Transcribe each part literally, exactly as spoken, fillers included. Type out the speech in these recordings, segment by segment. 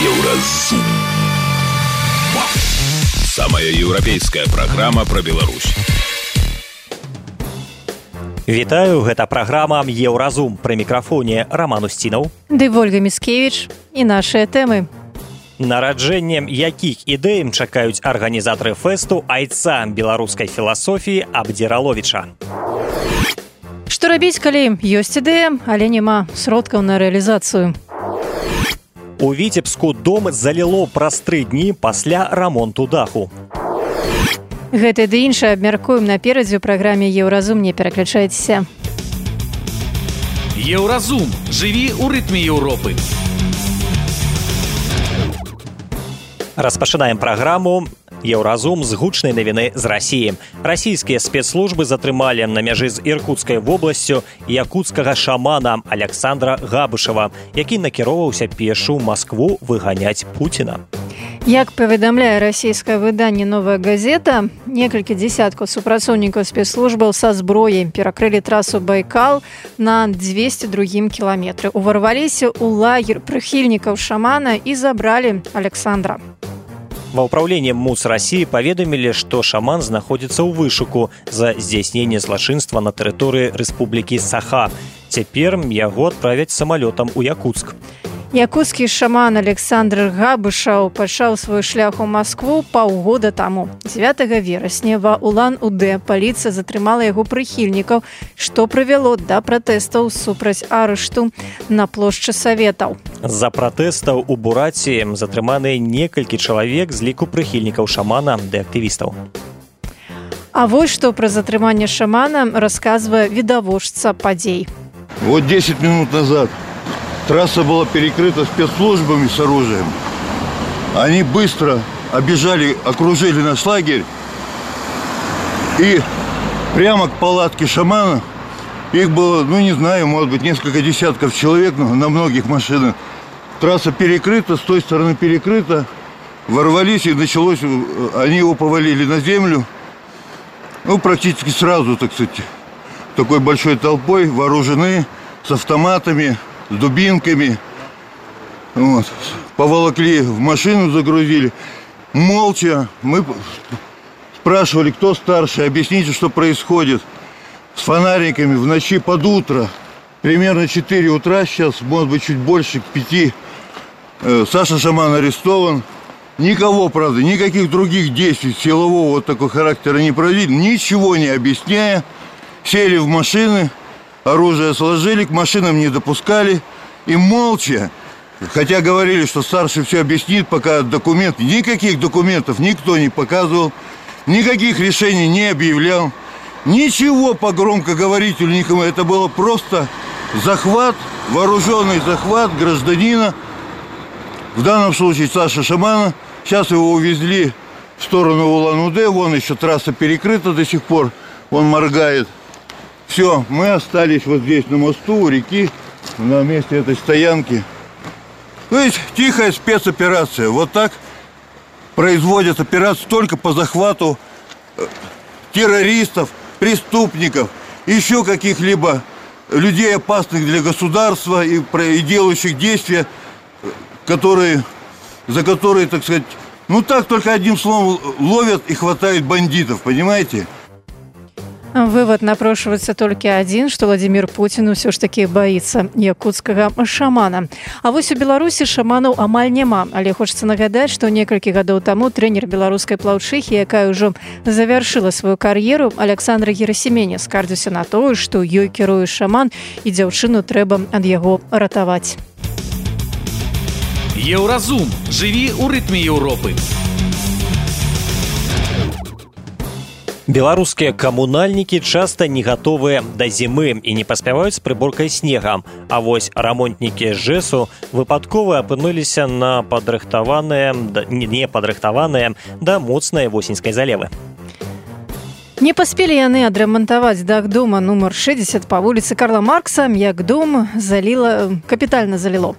Еўразум. Самая еўрапейская праграма пра Беларусь. Вітаю, гэта праграма Еўразум. Пры мікрафоне Роман Устінаў ды Ольга Міцкевіч і нашыя тэмы. Нараджэннем якіх ідэй чакаюць арганізатары фэсту айца беларускай філасофіі Абдзіраловіча. Што рабіць, калі ёсць ідэя, але няма сродкаў на рэалізацыю? У Віцебску дом заліло праз тры дні пасля рамонту даху. Гэта ды іншае абмяркуем наперадзе ў праграме Еўразум, не пераключайцеся. Еўразум. Жыві ў рытме Еўропы. Распачынаем праграму Еўразум з гучнай навіны з Расіі. Расійскія спецслужбы затрымалі на мяжы з Іркуцкай вобласцю якуцкага шамана Александра Габышева, які накіроўваўся пешу ў Маскву выганяць Пуціна. Як паведамляе расійскае выданне «Новая газета», некалькі дзесяткаў супрацоўнікаў спецслужбаў са зброяй перакрылі трасу Байкал на двесце другім кіламетры. Уварваліся ў лагер прыхільнікаў шамана і забралі Александра. Ва ўпраўленні МУС Расіі паведамілі, што шаман знаходзіцца ў вышуку за здзяйсненне злачынства на тэрыторыі Рэспублікі Саха. Цяпер яго адправяць самалётам у Якуцк. Якуцкі шаман Александр Габышаў пачаў свой шлях у Маскву паўгода таму. дзевятага верасня ва Улан-Удэ паліцыя затрымала яго прыхільнікаў, што прывяло да пратэстаў супраць арышту на плошчы Саветаў. З-за пратэстаў у Бураці затрыманыя некалькі чалавек з ліку прыхільнікаў шамана ды актывістаў. А вось што пра затрыманне шамана расказвае відавочца падзей. Вот десять минут назад трасса была перекрыта спецслужбами с оружием. Они быстро оббежали, окружили наш лагерь. И прямо к палатке шамана, их было, ну не знаю, может быть, несколько десятков человек на многих машинах. Трасса перекрыта, с той стороны перекрыта. Ворвались, и началось, они его повалили на землю. Ну, практически сразу, так сказать, такой большой толпой, вооружены, с автоматами, с дубинками. Вот. Поволокли в машину, загрузили. Молча. Мы спрашивали, кто старший, объясните, что происходит. С фонариками в ночи под утро. Примерно четыре утра сейчас, может быть, чуть больше, к пяти. Саша Шаман арестован. Никого, правда, никаких других действий силового вот такого характера не провели. Ничего не объясняя. Сели в машины. Оружие сложили, к машинам не допускали. И молча, хотя говорили, что старший все объяснит, пока документы, никаких документов никто не показывал, никаких решений не объявлял. Ничего по громкоговорителю никому. Это было просто захват, вооруженный захват гражданина. В данном случае Саша Шамана. Сейчас его увезли в сторону Улан-Удэ. Вон еще трасса перекрыта до сих пор. Он моргает. Все, мы остались вот здесь на мосту у реки, на месте этой стоянки. То есть тихая спецоперация. Вот так производят операцию только по захвату террористов, преступников, еще каких-либо людей, опасных для государства и, и делающих действия, которые, за которые, так сказать, ну так только одним словом ловят и хватают бандитов, понимаете? Вывод напрошваецца толькі адзін, што Владзімір Пуцін усё ж такі баіцца якуцкага шамана. А вось у Беларусі шаманаў амаль няма, але хочацца нагадаць, што некалькі гадоў таму трэнер беларускай плаўчыхі, якая ўжо завяршыла сваю кар'еру, Александра Герасімене, скардзіўся на тое, што ёй кіруе шаман і дзяўчыну трэба ад яго ратаваць. Еўразум. Жыві ў рытме Еўропы. Беларускія камунальнікі часта не гатовыя да зімы і не паспяваюць з прыборкай снега. А вось рамонтнікі ЖЭСу выпадкова апынуліся на падрыхтаваныя, не падрыхтаваныя да моцнай восеньскай залевы. Не паспелі яны адрамантаваць дах дома нумар шэсцьдзесят па вуліцы Карла Маркса, як дом заліла, капітальна заліло.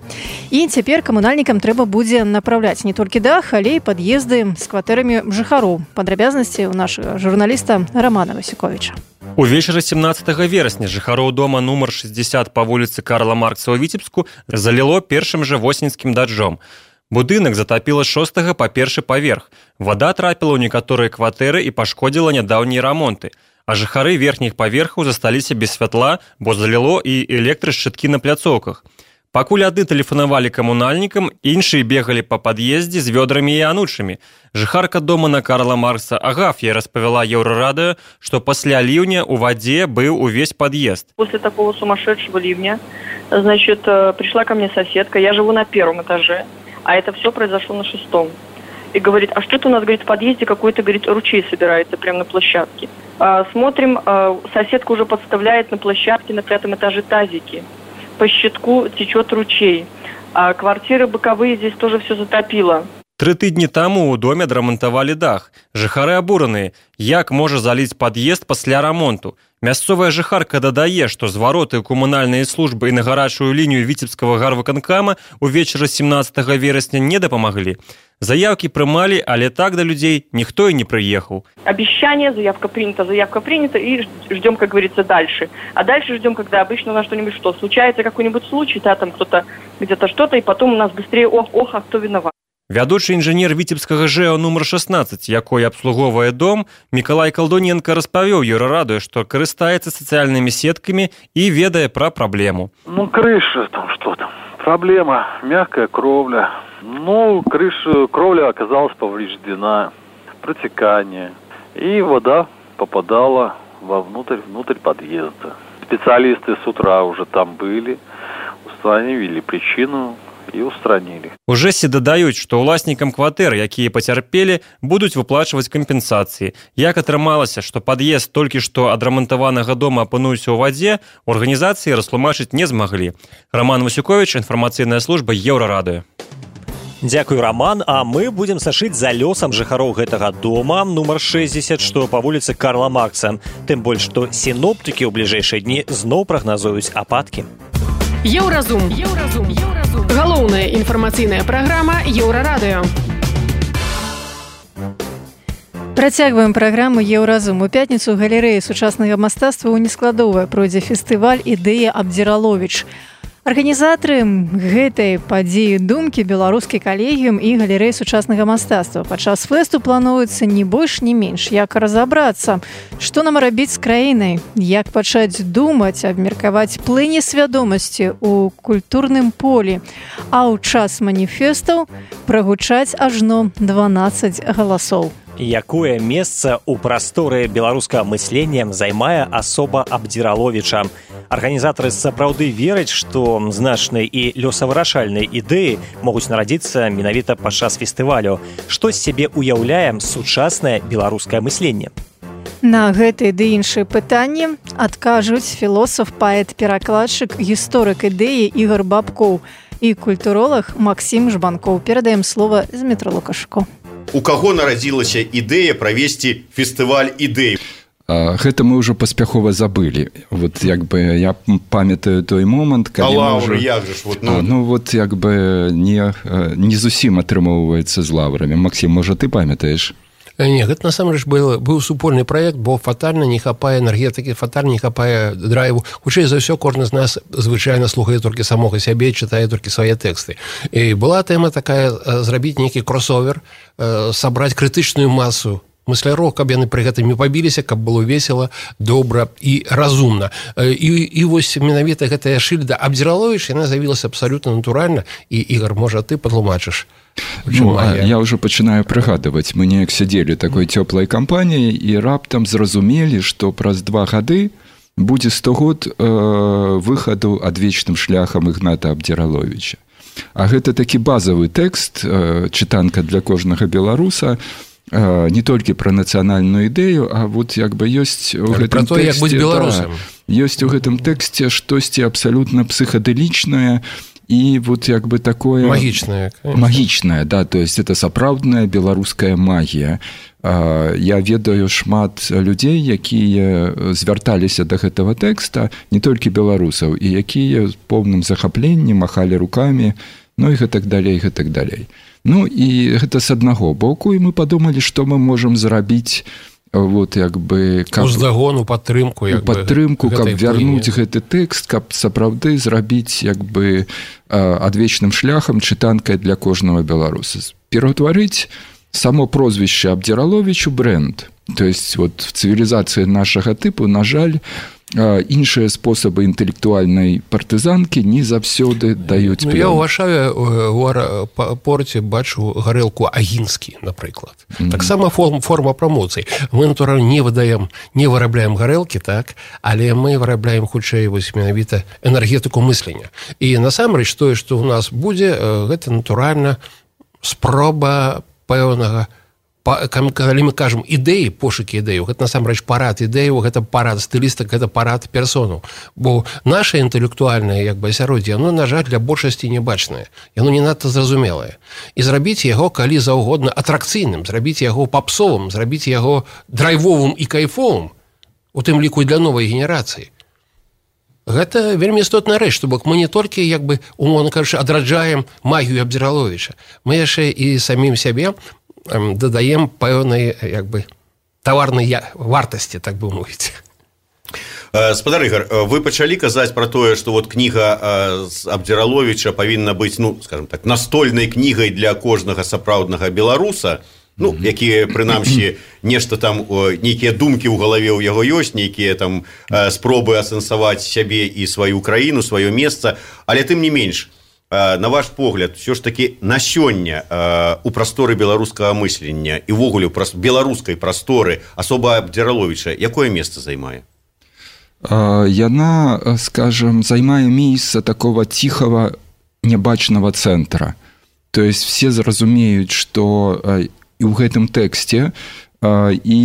І цяпер камунальнікам трэба будзе напраўляць не толькі дах, але і пад'езды з кватэрамі жыхароў. Падрабязнасці ў нашага журналіста Романа Васюковіча. Увечары семнадцатага верасня жыхароў дома нумар шэсцьдзесят па вуліцы Карла Маркса ў Віцебску заліло першым жа восеньскім дажджом. Будынак затапіла з шостага па першы паверх. Вада трапіла ў некаторыя кватэры і пашкодзіла нядаўнія рамонты. А жыхары верхніх паверхаў засталіся без святла, бо заліло і электрашчыткі на пляцоўках. Пакуль адны тэлефанавалі камунальнікам, іншыя бегалі па пад'ездзе з вёдрамі і анучамі. Жыхарка дома на Карла Маркса Агаф'я распавяла Еўрарадыё, што пасля ліўня ў вадзе быў увесь пад'езд. После такого сумасшедшего ливня, значит, пришла ко мне соседка, я живу на первом этаже, а это все произошло на шестом. И говорит, а что это у нас, говорит, в подъезде какой-то, говорит, ручей собирается прямо на площадке. А, смотрим, а, соседка уже подставляет на площадке на пятом этаже тазики. По щитку течет ручей. А квартиры боковые здесь тоже все затопило. Тры тыдні таму ў доме адрамантавалі дах. Жыхары абураныя, як можа заліць пад'езд пасля рамонту. Мясцовая жыхарка дадае, што звароты ў камунальныя службы і на гарачую лінію Віцебскага гарвыканкама ўвечары семнаццатага верасня не дапамаглі. Заявкі прымалі, але так да людзей ніхто і не прыехаў. Обещание, заявка принята, заявка принята, и ждем, как говорится, дальше. А дальше ждем, когда обычно у нас что-нибудь что, случается какой-нибудь случай, да, там кто-то где-то что-то, и потом у нас быстрее ох, ох, а кто виноват. Вядучы інжынер Віцебскага ЖЭО нумар шаснаццаць, якой абслугоўвае дом, Мікалай Калдоненко распавёў Еўрарадыё, што карыстаецца сацыяльнымі сеткамі і ведае пра праблему. Ну, крыша, там что там. Проблема, мягкая кровля. Ну, крыша, кровля оказалась повреждена, протекание. И вода попадала вовнутрь, внутрь подъезда. Специалисты с утра уже там были, установили причину і устранілі. У ЖЭСе дадаюць, што ўласнікам кватэр, якія пацярпелі, будуць выплачваць кампенсацыі. Як атрымалася, што пад'езд толькі што адрамантаванага дома апынуўся ў вадзе, у арганізацыі растлумачыць не змаглі. Роман Васюкович, інфармацыйная служба Еўрарадыё. Дзякуй, Роман, а мы будзем сашыць за лёсам жыхароў гэтага дома нумар шэсцьдзесят, што па вуліцы Карла Маркса. Тым больш, што сіноптыкі ў бліжэйшыя дні зноў прагназуюць ападкі. Еўразум. Еўразум. Еўразум. Галоўная інфармацыйная праграма Еўрарадыё. Працягваем праграму Еўразум. У пятніцу ў галерэі сучаснага мастацтва ў Нескладове пройдзе фестываль «Ідэя Абдзіраловіч». Арганізатары гэтай падзеі думкі беларускі калегіум і галерэі сучаснага мастацтва. Падчас фэсту плануецца не больш, не менш, як разабрацца, што нам рабіць з краінай, як пачаць думаць, абмеркаваць плыні свядомасці ў культурным полі, а ў час маніфестаў прагучаць ажно дванаццаць галасоў. Якое месца ў прасторы беларускага мыслення займае асоба Абдзіраловіча? Арганізатары сапраўды вераць, што значныя і лёсавырашальныя ідэі могуць нарадзіцца менавіта падчас фестывалю. Што з сябе ўяўляе сучаснае беларускае мысленне? На гэтыя ды іншыя пытанні адкажуць філосаф, паэт, перакладчык, гісторык ідэі Ігор Бабкоў і культуролог Максім Жбанкоў. Перадаем слова Змітру Лукашко. У каго нарадзілася ідэя правесці фестываль ідэй? Гэта мы ўжо паспяхова забылі. Вот як бы я памятаю той момант, калі а лаўры, ўжо... як же ж, вот, ну... А, ну вот як бы не, не зусім атрымоўваецца з лаўрамі. Максім, можа, ты памятаеш? Не, гэта насамрэч быў, быў супольны праект, бо фатальна не хапае энергетыкі, фатальна не хапае драйву. Хутчэй за ўсё, кожны з нас звычайна слухае толькі самога сябе, чытае толькі свае тэксты. І была тэма такая, зрабіць нейкі кросовер, сабраць крытычную масу мысляроў, каб яны пры гэтым не пабіліся, каб было весела, добра і разумна. І, і вось менавіта гэтая шыльда Абдзіраловіч, яна з'явілася абсалютна натуральна, і, Ігор, можа, ты падтлумачыш? Ну, а я ўжо пачынаю прыгадваць. Мы неяк сядзелі такой цёплай кампаніяй і раптам зразумелі, што праз два гады будзе сто год э, выхаду адвечным шляхам Ігната Абдзіраловіча. А гэта такі базавы тэкст, э, чытанка для кожнага беларуса, э, не толькі пра нацыянальную ідэю, а вот як бы ёсць у гэтым то, тэксце, да, ёсць у гэтым тэксце штосьці абсалютна псіхадэлічнае, и вот як бы такое... Магічная. Магічная, да, то есть это сапраўдная беларуская магія. Я ведаю шмат людзей, якія звярталіся да гэтага тэкста, не толькі беларусаў, і якія з поўным захапленнем махалі рукамі, ну і гэтак далей, гэтак далей. Ну і гэта з аднаго боку, і мы падумалі, што мы можам зрабіць вот як бы каб... уздагону падтрымку як падтрымку каб вярнуць гэты тэкст, каб сапраўды зрабіць як бы адвечным шляхам чытанкай для кожнага беларуса, пераўтварыць само прозвище Абдзіраловіч у бренд. То есть вот в цивилизации нашага тыпу, на жаль, іншыя спосабы інтэлектуальнай партызанкі не заўсёды даюць ну, я ўважаю у аэрапорце бачу гарэлку Агінскі, напрыклад. Mm-hmm. Таксама форма, форма прамоцыі. Мы, натуральна, не выдаем, не вырабляем гарэлкі, так, але мы вырабляем хутчэй вось менавіта энергетыку мыслення. І насамрэч тое, што ў нас будзе, гэта натуральна спроба пэўнага, калі мы кажам ідэі, пошукі ідэяў, гэта насамрэч парад ідэяў, гэта парад стылістак, гэта парад персонаў. Бо наша інтэлектуальнае як бы асяроддзе, яно, на жаль, для большасці небачнае. Яно не надта зразумелае. І зрабіць яго калі заўгодна атракцыйным, зрабіць яго папсовым, зрабіць яго драйвовым і кайфовым, у тым ліку і для новай генерацыі. Гэта вельмі істотная рэч, што бок мы не толькі як бы умоўна кажучы адраджаем магію Абдзіраловіча, мы яшчэ і самім сябе дадаем пэўнай як бы таварнай вартасці, так бы мовіць. Спадар Ігар, вы пачалі казаць пра тое, што вот кніга з Абдзіраловіча павінна быць, ну, скажем так, настольнай кнігай для кожнага сапраўднага беларуса, ну, якія, прынамсі, нешта там, нейкія думкі ў галаве ў яго ёсць, нейкія там спробы асэнсаваць сябе і сваю краіну, сваё месца, але тым не менш, на ваш погляд, все ж таки на сёння у прасторы беларускага мыслення і ўвогуле ў беларускай прасторы асоба Абдзіраловіча якое месца займае? Яна, скажем, займае месца такого тихого нябачнага цэнтра. То есть все зразумеюць, што і ў гэтым тэксце і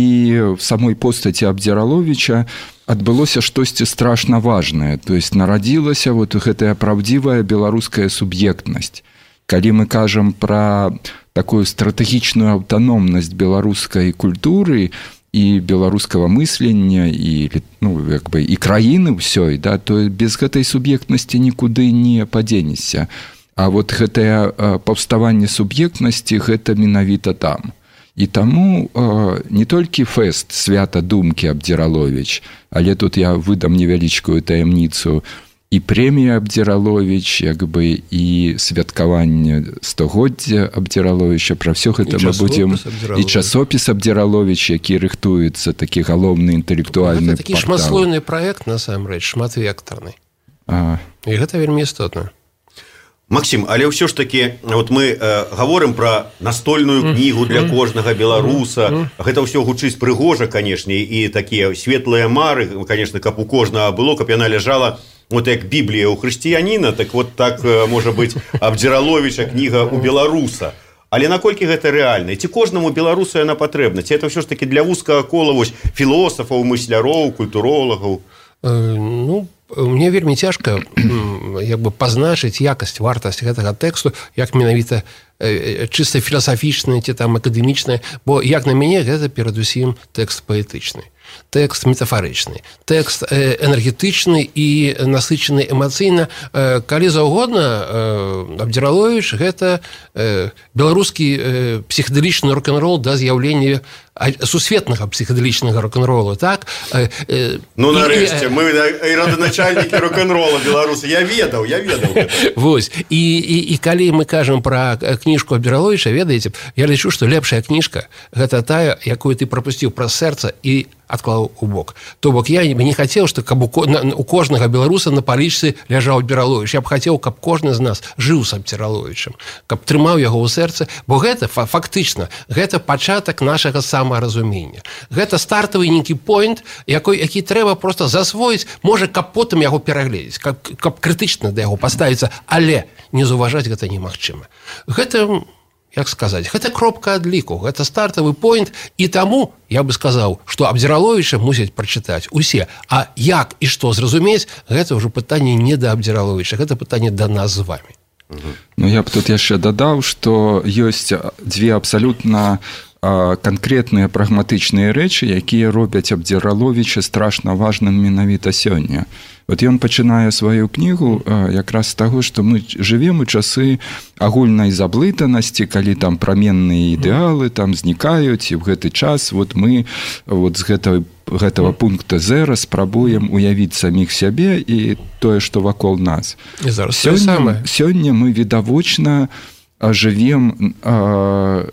в самой постаці Абдзіраловіча адбылося штосьці страшна важнае, то есть нарадзілася вот гэтая праўдзівая беларуская суб'ектнасць. Калі мы кажам пра такую стратэгічную аўтаномнасць беларускай культуры і беларускага мыслення і, ну, як бы, і краіны ўсёй, да, то без гэтай суб'ектнасці нікуды не падзенешся. А вот гэтае паўставанне суб'ектнасці гэта менавіта там. І таму э, не толькі фэст свята думкі Абдзіраловіч, але тут я выдам невялічкую таямніцу, і прэмія Абдзіраловіч, як бы, і святкаванне стагоддзя Абдзіраловіча, пра ўсё гэта мы будзем, і часопіс Абдзіраловіч, які рыхтуецца, такі галоўны інтэлектуальны портал. Гэта такі шматслойны праект, насамрэч, шматвектарны. А. І гэта вельмі істотна. Максим, але ўсё ж таки вот мы э, гаворым пра настольную кнігу для кожнага беларуса. Гэта ўсё гучыць прыгожа, канешне, і такія светлыя мары, конечно, каб у кожнага было, каб яна ляжала вот як Біблія ў хрысціяніна, так вот так можа быць Абдзіраловіча кніга у беларуса. Але наколькі гэта рэальна? Ці кожнаму беларусу яна патрэбна? Ці это ўсё ж таки для вузкага кола вось філосафаў, мысляроў, культуролагаў? Э, ну, мне вельмі цяжка як бы пазначыць якасць, вартасць гэтага тэксту, як менавіта чыста філасафічны ці там акадэмічны, бо як на мяне гэта перадусім тэкст паэтычны, тэкст метафарычны, тэкст энергетычны і насычаны эмацыйна. Калі заўгодна, Абдзіраловіч гэта беларускі псіхадэлічны рок-н-рол да з'яўлення сусветнага псіхадэлічнага рок-н-ролу, так? Ну, нарэшце, мы родоначальнікі рок-н-рола беларусы. Я ведаў, я ведаў. Вось. І, і, і калі мы кажам пра кніжку Абдзіраловіча, ведаеце, я лічу, што лепшая кніжка гэта тая, якую ты прапусціў праз сэрца і адклаў у бок. То бок я не хацеў, што каб у кожнага беларуса на палічцы ляжаў Абдзіраловіч. Я б хацеў, каб кожны з нас жыў з Абдзіраловічам, каб трымаў яго ў сэрцы, бо гэта фактычна, гэта пачатак нашага самаразумення. Гэта стартавы нейкі поінт, якой, які трэба проста засвоіць, можа, каб потым яго перагледзець, каб, каб крытычна да яго паставіцца, але не заўважаць гэта немагчыма. Гэта, як сказаць, гэта кропка адліку, гэта стартавы поінт, і таму я бы сказаў, што Абдзіраловіча мусяць прачытаць усе. А як і што зразумець, гэта ўжо пытанне не да Абдзіраловіча, гэта пытанне да нас з вамі. Ну, я б тут яшчэ дадаў, што ёсць дзве абсалютна канкрэтныя прагматычныя рэчы, якія робяць Абдзіраловіча страшна важным менавіта сёння. Вот ён пачынае сваю кнігу якраз з таго, што мы жывем у часы агульнай заблытанасці, калі там праменныя ідэалы там знікаюць, і ў гэты час вот мы вот з гэтай гэтага пункта зера спрабуем уявіць саміх сябе і тое, што вакол нас. Сёння, сёння мы відавочна жывем а,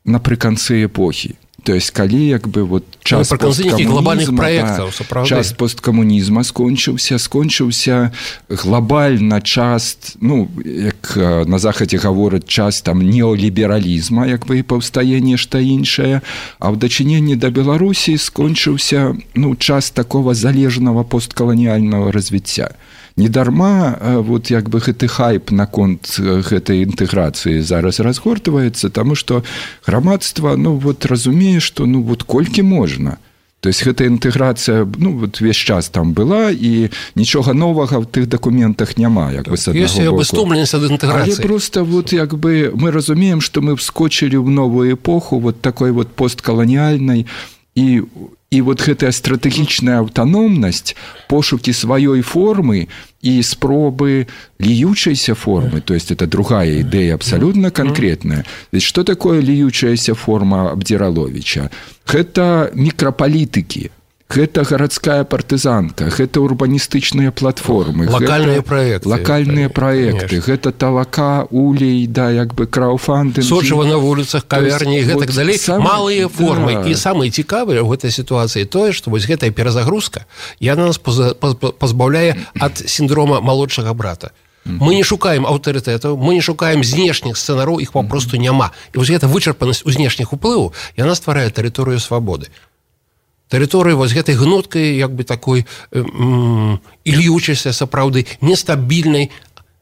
напрыканцы эпохі. То есть, калі як бы вот час посткамунізма, да, час посткамунізма скончыўся, скончыўся глобальна час, ну, як на захадзе гавораць, час там неолібералізма, як бы і паўстае нешта іншае, а ў дачыненні да Беларусі скончыўся, ну, час такого залежнага посткаланіяльнага развіцця. Недарма вот як бы гэты хайп наконт гэтай інтэграцыі зараз разгортваецца, таму што грамадства, ну, вот разумее, што ну вот колькі можна. То есть гэтая інтэграцыя, ну, вот весь час там была, і нічога новага ў тых дакументах няма, як бы, з аднаго боку. Але просто вот як бы мы разумеем, што мы вскочылі ў новую эпоху вот такой вот посткаланіяльнай, і І вот гэтая стратэгічная аўтаномнасць, пошукі сваёй формы і спробы ліючайся формы, то есть это другая ідэя абсалютна канкрэтная. Што такое ліючаяся форма Абдзіраловіча? Гэта мікрапалітыкі, гэта гарадская партызанка, гэта урбаністычныя платформы, локальныя праекты, локальныя праекты, гэта талака, улей, да, як бы крауфандинг, сочыва на вуліцах, кавярні і гэтак далей, малыя формы. Да. І самае цікавае ў гэтай сітуацыі тое, што вось гэтая перазагрузка, яна нас пазбаўляе ад сіндрома малодшага брата. Мы не шукаем аўтарытэтаў, мы не шукаем знешніх сцэнараў, іх папросту няма. І вось гэта вычарпанасць у знешніх уплываў, яна стварае тэрыторыю свабоды. Тэрыторыі вось гэтай гнуткай, як бы такой ільючайся, сапраўды, нестабільнай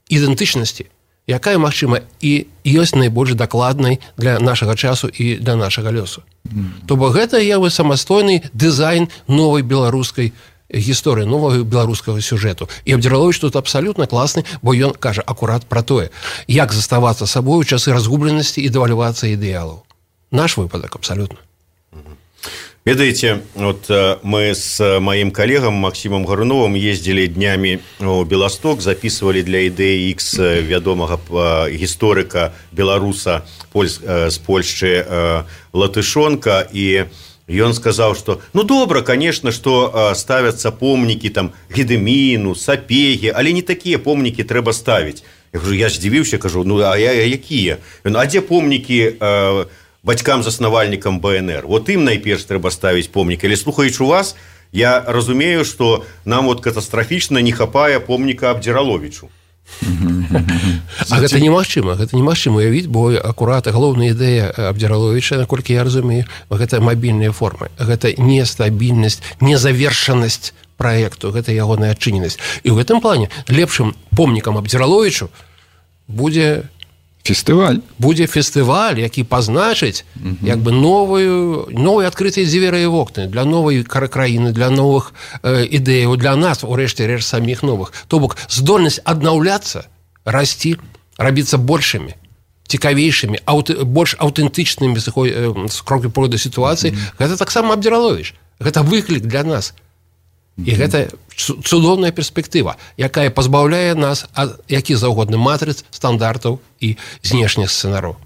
ідэнтычнасці, якая, магчыма, і ёсць найбольш дакладнай для нашага часу і для нашага лёсу. Mm. То бок гэта я бы самастойны дызайн новай беларускай гісторыі, новага беларускага сюжэту. І Абдзіраловіч тут абсалютна класны, бо ён кажа акурат пра тое, як заставацца сабой у часы разгубленасці і дэвальвацыі ідэалаў. Наш выпадак абсалютна. Ведаеце, вот мы с моим коллегом Максимом Гаруновым ездили днями в Белосток, записывали для Идеи X вядомага гісторыка беларуса с Польшчы Латышонка, и ён сказал, что ну добра, конечно, что ставятся помнікі там Гедыміну, Сапегі, але не такие помнікі трэба ставить. Я говорю, я ж здзівіўся, кажу, ну а я якія? А дзе помнікі бацькам-заснавальнікам Бэ Эн Эр. Вот ім найперш трэба ставіць помнік. Але слухаючы вас, я разумею, што нам вот катастрафічна не хапае помніка Абдзіраловічу. А гэта немагчыма, гэта немагчыма уявіць, бо акурат галоўная ідэя Абдзіраловіча, наколькі я разумею, гэта мабільныя формы, гэта нестабільнасць, незавершанасць праекту, гэта ягоная адчыненасць. І ў гэтым плане лепшым помнікам Абдзіраловічу будзе фестываль. Будзе фестываль, які пазначыць uh-huh. як бы новую, новыя адкрытыя дзверы і вокны для новай краіны, для новых э, ідэяў, для нас, урэшце рэч, саміх новых. То бок здольнасць аднаўляцца, расці, рабіцца большымі, цікавейшымі, аўт, больш аўтэнтычнымі з э, крокі породы сітуацыі, uh-huh. гэта таксама Абдзіраловіч. Гэта выклік для нас. І mm-hmm. гэта цудоўная перспектыва, якая пазбаўляе нас ад які заўгодны матрыц, стандартаў і знешніх сцэнараў.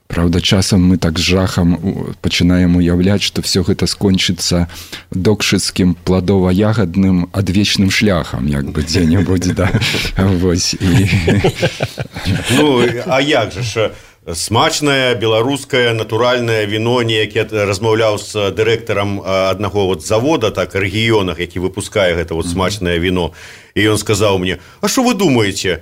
Правда, часам мы так з жахам пачынаем уяўляць, што все гэта скончыцца докшыцкім пладова-ягадным адвечным шляхам, як бы дзе-небудзь, да. Вось. Ну, а як жа ж? Смачнае беларускае натуральнае віно, неякі размаўляў з дырэктарам аднаго вот завода, так, рэгіёнах, які выпускае гэта вот смачнае віно. І ён сказаў мне, а што вы думаеце,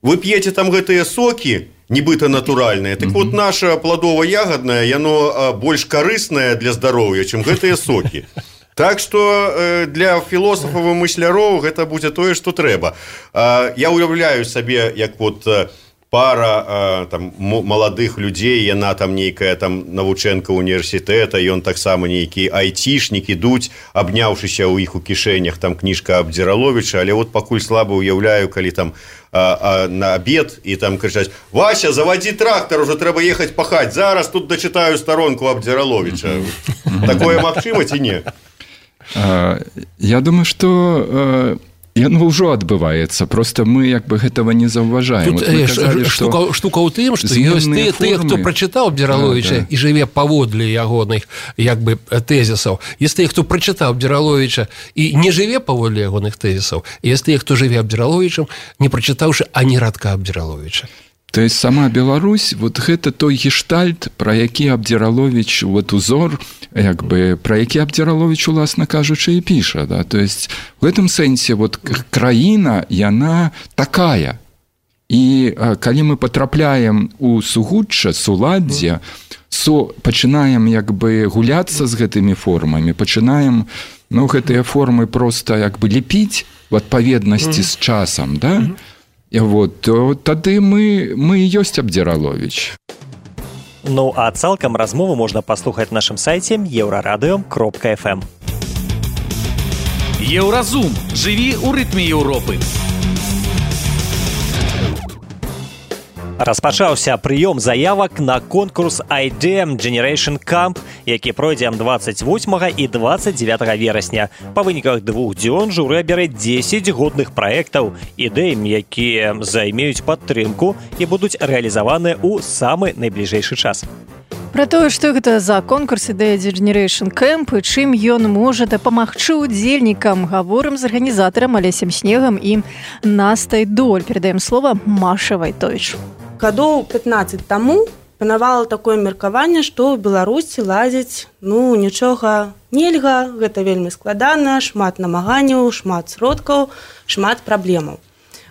вы п'еце там гэтыя сокі, нібыта натуральныя, так вот наша пладова-ягаднае, яно больш карыснае для здароўя, чым гэтыя сокі. Так што для філосафаў і мысляроў гэта будзе тое, што трэба. Я уяўляю сабе, як вот пара там маладых людзей, яна там нейкая там навучэнка універсітэта, ён таксама нейкі айцішнік, ідуць, абняўшыся ў іх у кішэнях, там кніжка Абдзіраловіча, але вот пакуль слаба уяўляю, калі там а, а, на обед и там кричать: Вася, заводи трактор, уже треба ехать пахать, зараз тут дочитаю сторонку Абдзіраловича. Такое магчыма ці не? Я думаю, что яно ўжо адбываецца, просто мы як бы гэтага не заўважаем. Тут вот казалі, штука, што штука ў тым, што ёсць тыя, тыя, хто прачытаў Абдзіраловіча да, да. і жыве паводле ягоных як бы тэзісаў. Ёсць тыя, хто прачытаў Абдзіраловіча і не жыве паводле ягоных тэзісаў. Ёсць тыя, хто жыве Абдзіраловічам, не прачытаўшы ані радка Абдзіраловіча. То есть сама Беларусь, вот гэта той гештальт, про які Абдзіраловіч, вот узор, як бы, про які Абдзіраловіч, уласна кажучы, і піша, да? То есть в этом сэнсе вот краіна, яна такая. І калі мы потрапляем у сугучча, суладдзе, со, пачынаем як бы гуляцца з гэтымі формамі, пачынаем, ну, гэтыя формы просто як бы лепіць в адпаведнасці з часам, да? Вот, то тады мы, мы і ёсць Абдзіраловіч. Ну, а цалкам размову можна паслухаць на нашым сайце еўрарадыё кропка эф эм. Еўразум. Жыві ў рытме Еўропы. Распачаўся прыём заявак на конкурс ай ди эм Generation Camp, які пройдзе дваццаць восьмага і дваццаць дзевятага верасня. Па выніках двух дзён журы абярэ дзесяць годных праектаў, ідэям, якія займеюць падтрымку і будуць рэалізаваныя ў самы найбліжэйшы час. Пра тое, што гэта за конкурс ідэя Generation Camp і чым ён можа дапамагчы удзельнікам, гаворым з арганізатарам Алесем Снегам і Настай Доль. Перадаем слова Машы Вайтовіч. Гадоў пятнаццаць таму панавала такое меркаванне, што ў Беларусі ладзіць, ну, нічога нельга, гэта вельмі складана, шмат намаганняў, шмат сродкаў, шмат праблемаў.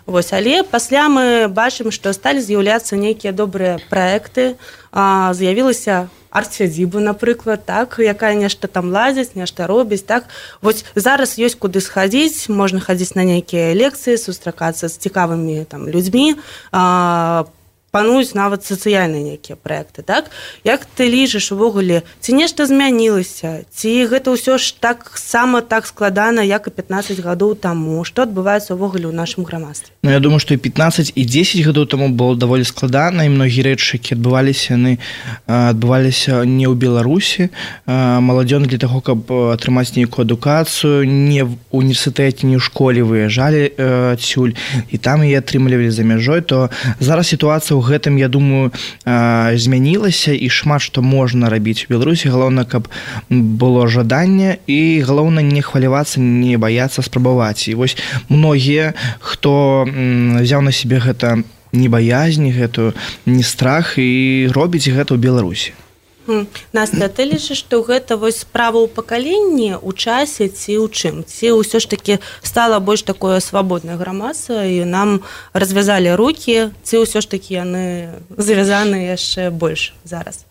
Вось, але пасля мы бачым, што сталі з'яўляцца нейкія добрыя праекты, а, з'явілася арт-сядзіба, напрыклад, так, якая нешта там ладзіць, нешта робіць, так. Вось зараз ёсць куды схадзіць, можна хадзіць на нейкія лекцыі, сустракацца з цікавымі там людзьмі, а, пануюць нават сацыяльныя нейкія праекты, так? Як ты лічыш увогуле, ці нешта змянілася, ці гэта ўсё ж так сама так складана, як і пятнаццаць гадоў таму? Што адбываецца увогуле ў нашым грамадстве? Ну, я думаю, што і пятнаццаць, і дзесяць гадоў таму было даволі складана, і многія рэчы, якія адбываліся, яны адбываліся не ў Беларусі. Маладзёны для таго, каб атрымаць нейкую адукацыю, не в універсітэце, не ў школе выязджалі адсюль, і там яе атрымлівалі за мяжой, то зараз сітуацыя ў гэтым, я думаю, змянілася, і шмат што можна рабіць у Беларусі. Галоўна, каб было жаданне, і галоўна не хвалявацца, не баяцца спрабаваць. І вось многія, хто взяў на сябе гэта небаязні, гэтую не страх, і робіць гэта ў Беларусі. Настя, ты лічыш, што гэта вось справа ў пакаленні, у часе ці ў чым? Ці ўсё ж такі стала больш такое свабоднае грамадства, і нам развязалі рукі, ці ўсё ж такі яны звязаны яшчэ больш зараз?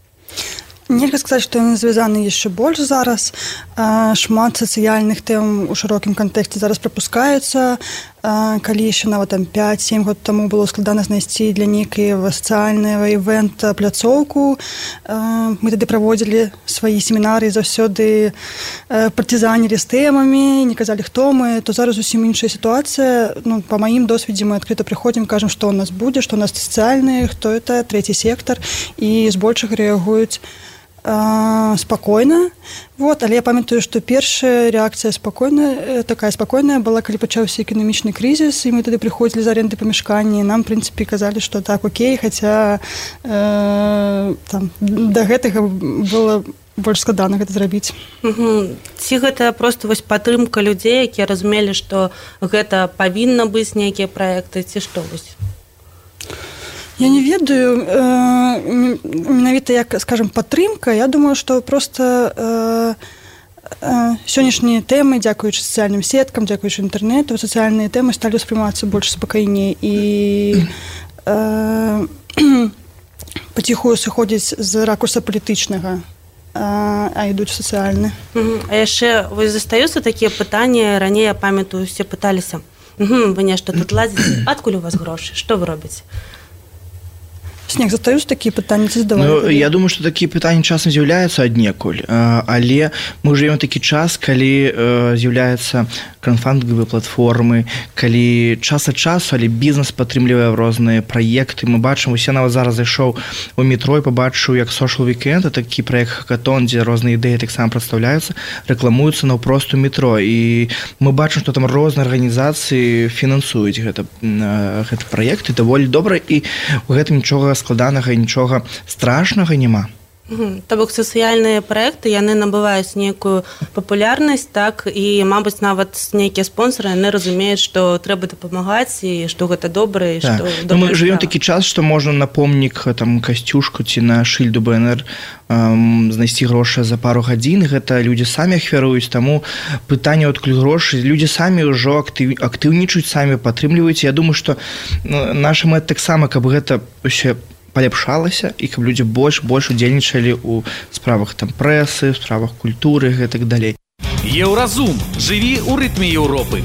Нельга сказаць, што яны звязаны яшчэ больш зараз. Шмат сацыяльных тэм у шырокім кантэксце зараз прапускаецца. Калі яшчэ нават там пяць-сем год таму было складана знайсці для нейкага сацыяльнага івэнта пляцоўку. Мы тады праводзілі свае семінары, заўсёды партызанілі з тэмамі, не казалі, хто мы, то зараз зусім іншая сітуацыя. Ну, па маім досведзе мы адкрыта прыходзім, кажам, што ў нас будзе, што ў нас сацыяльны, хто это, трэці сектар, і збольшага рэагуюць спакойна. Вот, але я памятаю, што першая рэакцыя спакойная, такая спакойная была, калі пачаўся эканамічны крызіс, і мы тады прыходзілі з арэнды памяшкання, і нам, в прынцыпе, казалі, што так, окей, хаця э, там, да гэтага было больш складана гэта зрабіць. Угу. Ці гэта проста вось падтрымка людзей, якія разумелі, што гэта павінна быць нейкія праекты, ці што вось? Я не ведаю, э, менавіта як, скажем, падтрымка. Я думаю, што проста э, э, сённяшнія тэмы, дзякуючы сацыяльным сеткам, дзякуючы інтэрнэту, сацыяльныя тэмы сталі ўспрымацца больш спакайней і э, паціхую сыходзіць з ракурса палітычнага, а ідуць сацыяльны. А яшчэ вось застаюцца такія пытанні, раней, я памятаю, усе пыталіся, вы нешта тут ладзіце, адкуль у вас грошы, што вы робіце? Снег, задаюць такія пытанні, ці задавалі? Ну, я думаю, што такія пытанні часам з'яўляюцца аднекуль, але мы жывем такі час, калі з'яўляюцца краўдфандынгавыя платформы, калі час ад часу, але бізнес падтрымлівае розныя праекты. Мы бачым, усе нават зараз зайшоў у метро і пабачыў, як Social Weekend, такі праект хакатон, дзе розныя ідэі таксама прадстаўляюцца, рэкламуюцца наўпрост у метро. І мы бачым, што там розныя арганізацыі фінансуюць гэта, гэты праект, і даволі добра, і у гэтым нічога складанага і нічога страшнага няма. То бок сацыяльныя праекты, яны набываюць нейкую папулярнасць, так, і, мабыць, нават нейкія спонсары, яны разумеюць, што трэба дапамагаць, і што гэта добра, і так. што добра. Мы жывем такі час, што можна на помнік, там, касцюшку ці на шыльду бэ эн эр эм, знайсці грошы за пару гадзін, гэта людзі самі ахвяруюць, таму пытанне адкуль грошы, людзі самі ўжо актыў, актыўнічаюць, самі падтрымліваюць. Я думаю, што ну, наша мэта таксама, каб гэта ўсё паляпшалася і каб людзі больш больш удзельнічалі ў справах там прэсы, справах культуры і гэтак далей. Еўразум. Жыві ў рытме Еўропы.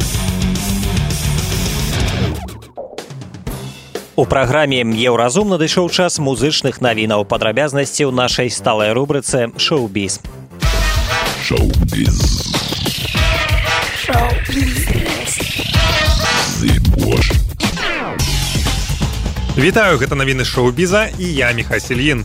У праграме Еўразум надышоў час музычных навінаў, падрабязнасці ў нашай сталай рубрыцы «Шоу-біз». Шоу-біз. Шоу-біз. Зыбош. Вітаю, гэта навіны шоу-біза і я, Міхась Ільін.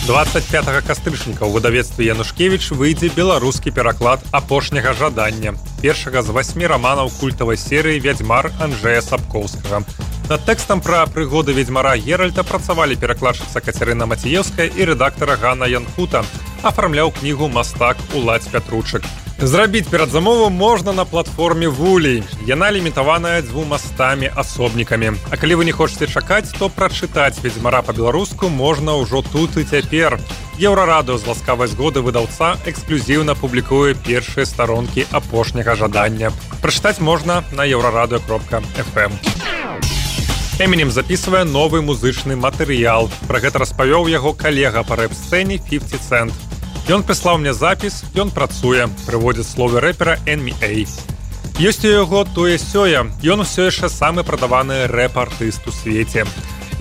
дваццаць пятага кастрычніка ў выдавецтве Янушкевіч выйдзе беларускі пераклад апошняга жадання, першага з васьмі раманаў культавай серыі «Вядзьмар» Анджэя Сапкоўскага. Над тэкстам пра прыгоды ведзьмара Геральта працавалі перакладчыца Кацярына Маціеўская і рэдактара Ганна Янхута. Афармляў кнігу мастак Уладзь Пятручык. Зрабіць перадзамову можна на платформе Вулей. Яна лімітаваная дзвюма стамі асобнікамі. А калі вы не хочаце чакаць, то прачытаць «Ведзьмара» па-беларуску можна ўжо тут і цяпер. Еўрарадыё з ласкавай згоды выдаўца эксклюзіўна публікуе першыя старонкі апошняга жадання. Прачытаць можна на еўрарадыё кропка эф эм. Эмінем запісвае новы музычны матэрыял. Пра гэта распавёў яго калега па рэп-сцэне фіфці цэнт. Ён прыслаў мне запіс, ён працуе, прыводзіць словы рэпера эн эм эй. Ёсць у яго тое-сёе, ён усё яшчэ самы прадаваны рэп-артыст у свеце.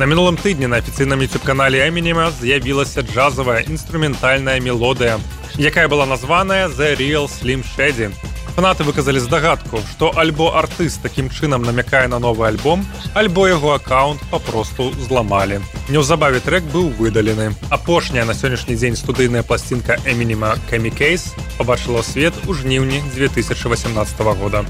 На мінулым тыдні на афіцыйным ютуб-канале Эмінема з'явілася джазавая інструментальная мелодыя, якая была названая «The Real Slim Shady». Фанаты выказалі здагадку, што альбо артыст такім чынам намякае на новы альбом, альбо яго аккаунт папросту зламалі. Неўзабаве трэк быў выдалены. Апошняя на сённяшні дзень студыйная пласцінка Эмінема «Кэмі Кейс» пабачыла свет у жніўні дзве тысячы васямнаццатага года.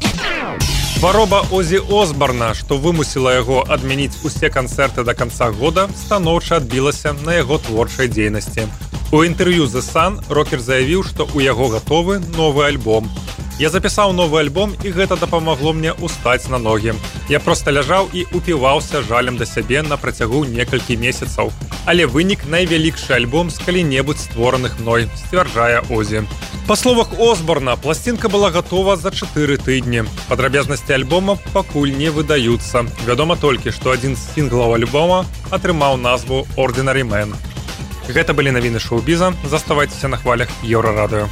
Хвароба Озі Осбарна, што вымусіла яго адмяніць усе канцэрты да канца года, станоўча адбілася на яго творчай дзейнасці. У інтэрв'ю The Sun рокер заявіў, што ў яго гатовы новы альбом. Я запісаў новы альбом, і гэта дапамагло мне устаць на ногі. Я проста ляжаў і упіваўся жалем да сябе на працягу некалькі месяцаў. Але вынік найвялікшы альбом з калі-небудзь створаных мной, сцвярджае Озі. Па словах Осборна, пласцінка была гатова за чатыры тыдні. Падрабязнасці альбома пакуль не выдаюцца. Вядома толькі, што адзін з сінглаў альбома атрымаў назву «Ordinary Man». Гэта былі навіны шоу-біза. Заставайцеся на хвалях Еўрарадыё.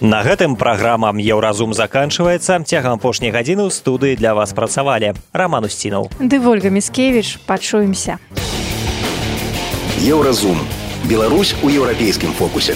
На гэтым праграма «Еўразум» заканчваецца. Цягам апошняй гадзіны ў студыі для вас працавалі Раман Усцінаў. Ды Вольга Міскевіч. Пачуемся. Еўразум. Беларусь у еўрапейскім фокусе.